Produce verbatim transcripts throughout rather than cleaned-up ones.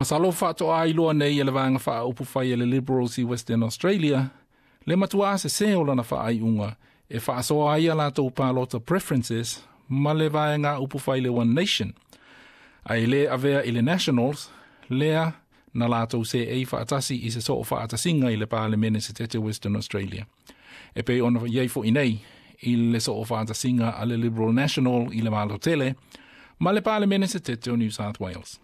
Masalo faatoa iloa nei e le vaega faaupufai e le Liberals i Western Australia, le matua sese o lana faaiuga e faasoa ai a latou palota preferences ma le vaega upufai le One Nation. Ae le avea i le Nationals, lea na latou seei faatasi i se soo faatasiga i le Palemene Setete Western Australia. E pei ona i ai foi nei i le soo faatasiga a le Liberal National i le Malo Tele ma le Palemene Setete o New South Wales.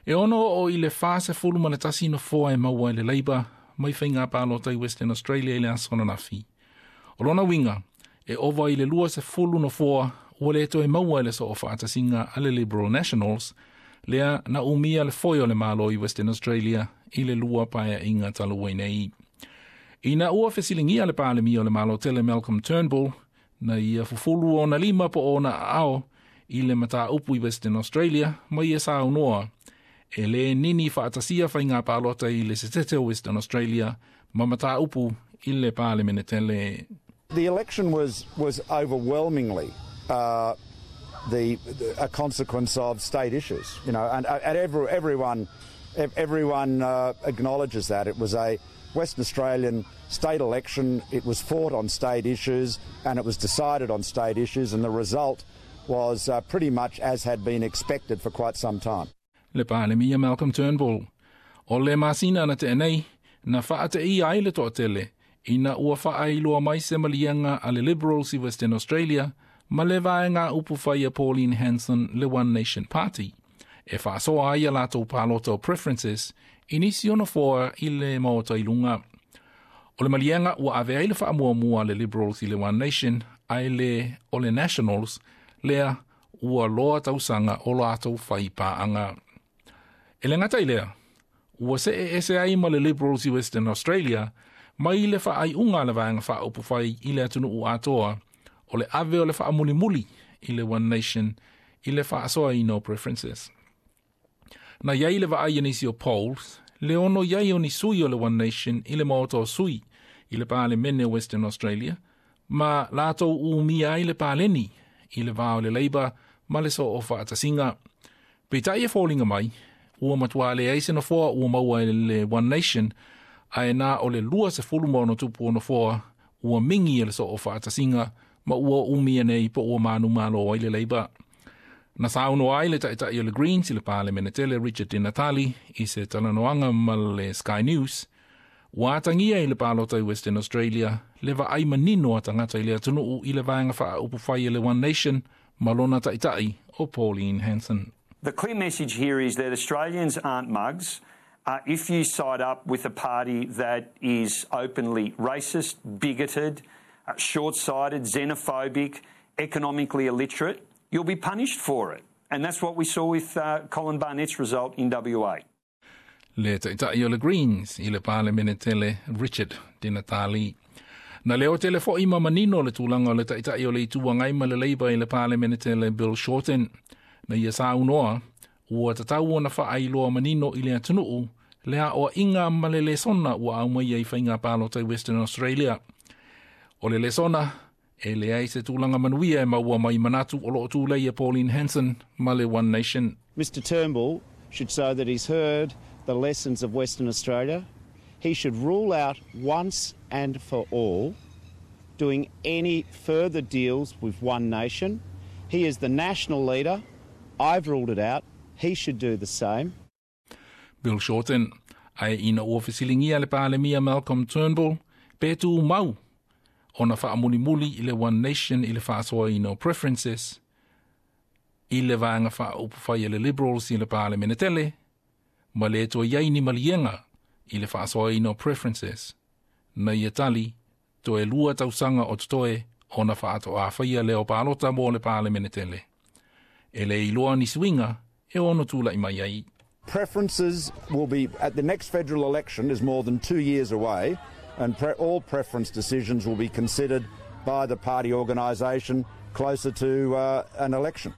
E ono o i le fa sefulu ma le tasi nofoa e maua e le Labour mai faiga palota i Western Australia i le aso ananafi. O lona uiga, e ova i le lua sefulu nofoa ua le toe maua e le soo faatasiga a le Liberal Nationals, lea na umia le foe o le Malo i Western Australia i le lua paeaiga talu ai nei. Ina ua fesiligia le Palemia o le Malo Tele Malcolm Turnbull, na ia fufulu ona lima po ona aao i le mataupu i Western Australia, ma ia saunoa, e le nini faatasia faiga palota i le setete o Western Australia ma mataupu i le Palemene Tele. The election was, was overwhelmingly uh, the, the, a consequence of state issues, you know, and, and every, everyone, everyone uh, acknowledges that. It was a Western Australian state election. It was fought on state issues and it was decided on state issues, and the result was uh, pretty much as had been expected for quite some time. Le Palemia Malcolm Turnbull. O le masina na tea nei, na faateia ai le toatele, ina ua faailoa mai se maliega a le Liberals i Western Australia, ma le vaega upufai a Pauline Hanson le One Nation Party, e faasoa ai a latou palota o preferences, i nisi o nofoa i le maota i luga. O le maliega ua ave ai le faamuamua le Liberals i le One Nation, ae le o le Nationals, lea ua loa tausaga o latou fai paaga. E le gata i lea, ua see ese ai ma le Liberals i Western Australia, mai le faaiuga le vaega faaupufai i le atunuu atoa, o le ave o le faamulimuli i le One Nation i le faasoaina o preferences. Na iai le vaai a nisi o polls, le ono iai o ni sui o le One Nation i le maota o sui i le Palemene o Western Australia, ma latou umia ai le paleni i le va o le Labour ma le soo faatasiga. Peitai e foliga mai, ua matua leai se nofoa ua maua e le One Nation, ae na o le lua sefulu ma ono tupu o nofoa ua mingi e le soo faatasiga ma ua umia nei po ua manumalo ai le Labour. Na saunoa ai le taitai o le Greens i le Palemene Tele Richard Di Natale i se talanoaga ma le Sky News, ua atagia i le palota i Western Australia le vaai manino a tagata i le atunuu i le vaega faaupufai e le One Nation ma lona taitai o Pauline Hanson. The clear message here is that Australians aren't mugs. Uh, if you side up with a party that is openly racist, bigoted, uh, short sighted, xenophobic, economically illiterate, you'll be punished for it. And that's what we saw with uh, Colin Barnett's result in W A. Le taitai o le Greens i le Palemene Tele Richard Di Natale. Na leo tele foi ma manino le tulaga o le taitai o le Itu Agai ma le Labour i le Palemene Tele Bill Shorten. Na ia saunoa, ua tatau ona faailoa manino i le atunuu, le aoaiga ma le lesona ua aumai ai faiga palota i Western Australia. O le lesona, e leai se tulaga manuia e maua mai manatu o loo tulei e Pauline Hanson ma le One Nation. Mister Turnbull should show that he's heard the lessons of Western Australia. He should rule out once and for all doing any further deals with One Nation. He is the national leader. I've ruled it out. He should do the same. Bill Shorten, ae ina ua fesiligia le Palemia Malcolm Turnbull, pe tumau ona faamulimuli i le One Nation i le faasoaina o preferences, i le vaega faaupufai e le Liberals i le Palemene Tele, ma le toe iai ni maliega i le faasoaina o preferences. Na ia tali, toe lua tausaga o totoe ona faatoa faia lea o palota mo le Palemene Tele. E le iloa ni suiga e ono tula'i mai ai. Preferences will be at the next federal election is more than two years away, and pre- all preference decisions will be considered by the party organisation closer to uh, an election.